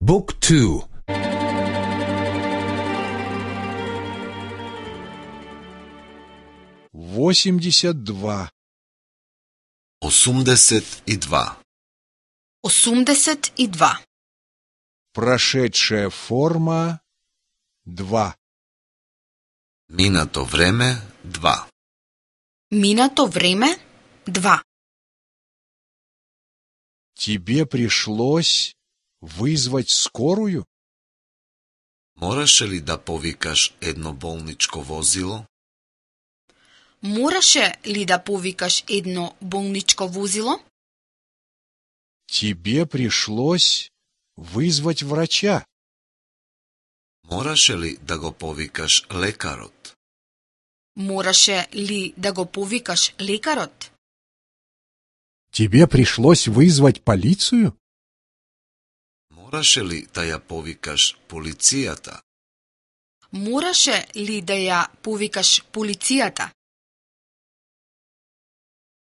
Book 2. 82. 82. 82. Прошедшая форма 2. Минато време 2. Минато време 2. Тебе пришлось вызвать скорую? Мораше ли да повикаш едно болничко возило? Мораше ли да повикаш едно болничко возило? Тебе пришлось вызвать врача? Мораше ли да го повикаш лекарот? Мораше ли да го повикаш лекарот? Тебе пришлось вызвать полицию? Мораше ли да ја повикаш полицијата? Мораше ли да ја повикаш полицијата?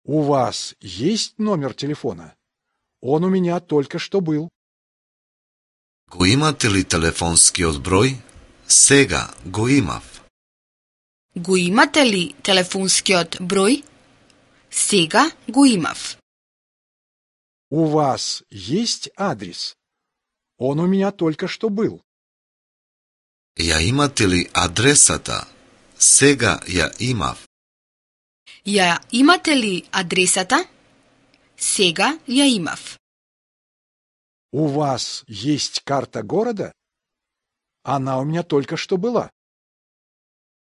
У вас есть номер телефона? Он у меня только что был. Го имате ли телефонскиот број? Сега го имав. Го имате ли телефонскиот број? Сега го имав. У вас есть адрес? Он у меня только что был. Ја имате ли адресата? Сега ја имав. Ја имате ли адресата? Сега ја имав. У вас есть карта города? Она у меня только что была.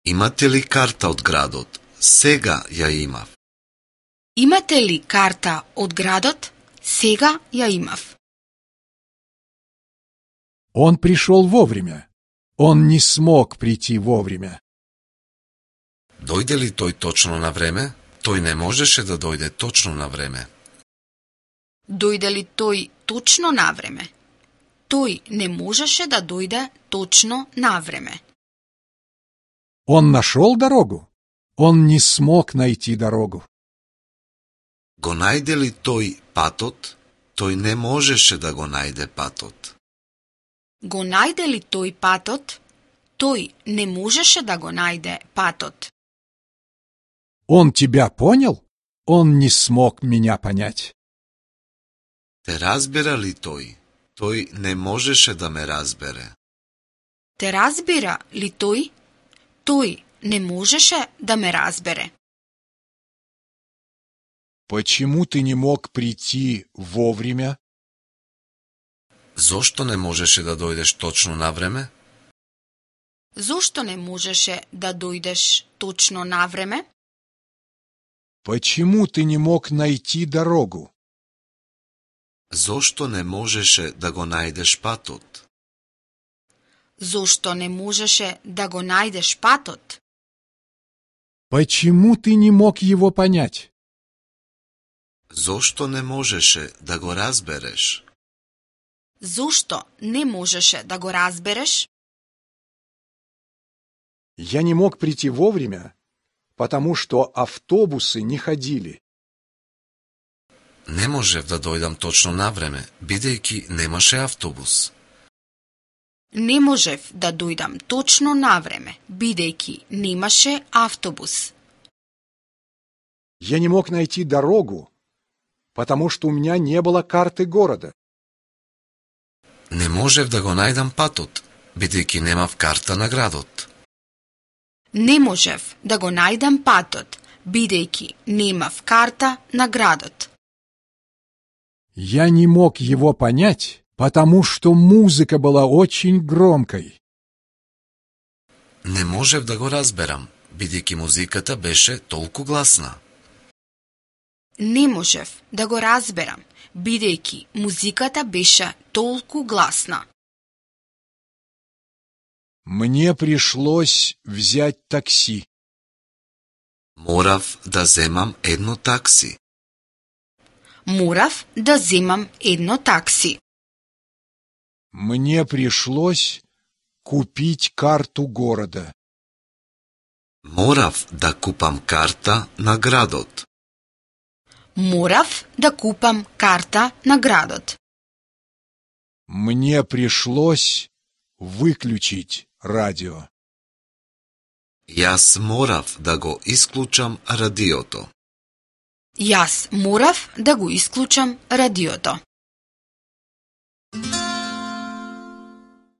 Имате ли карта од градот? Сега ја имав. Имате ли карта од градот? Сега ја имав. Он пришел вовремя. Он не смог прийти вовремя. Дојде ли тој точно на време? Тој не можеше да дојде точно на време. Дојде ли тој точно на време? Тој не можеше да дојде точно на време. Он нашел дорогу? Он не смог найти дорогу. Го најде ли тој патот? Тој не можеше да го најде патот. Го најде ли тој патот? Тој не можеше да го најде патот. Он тебя понял? Он не смог меня понять. Те разбира ли тој? Тој не можеше да ме разбере. Те разбира ли тој? Тој не можеше да ме разбере. Почему ты не мог прийти вовремя? Зошто не можеше да дојдеш точно на време? Зошто не можеше да дојдеш точно на време? Почему ты не мог найти дорогу? Зошто не можеше да го најдеш патот? Зошто не можеше да го најдеш патот? Почему ты не мог его понять? Зошто не можеше да го разбереш? Зошто не можеше да го разбереш? Я не мог прийти вовремя, потому что автобусы не ходили. Не можев да дојдам точно на време, бидејќи немаше автобус. Не можев да дојдам точно на време, бидејќи немаше автобус. Я не мог найти дорогу, потому что у меня не было карты города. Не можев да го најдам патот, бидејќи немав карта на градот. Не можев да го најдам патот, бидејќи немав карта на градот. Я не мог его понять, потому что музыка была очень громкой. Не можев да го разберам, бидејќи музиката беше толку гласна. Не можев да го разберам, бидејќи музиката беше толку гласна. Мне пришлось взять такси. Морав да земам едно такси. Морав да земам едно такси. Мне пришлось купить карту города. Морав да купам карта на градот. Морав да купам карта на градот. Мне пришлось выключить радио. Јас морав да го исклучам радиото. Јас морав да го исклучам радиото.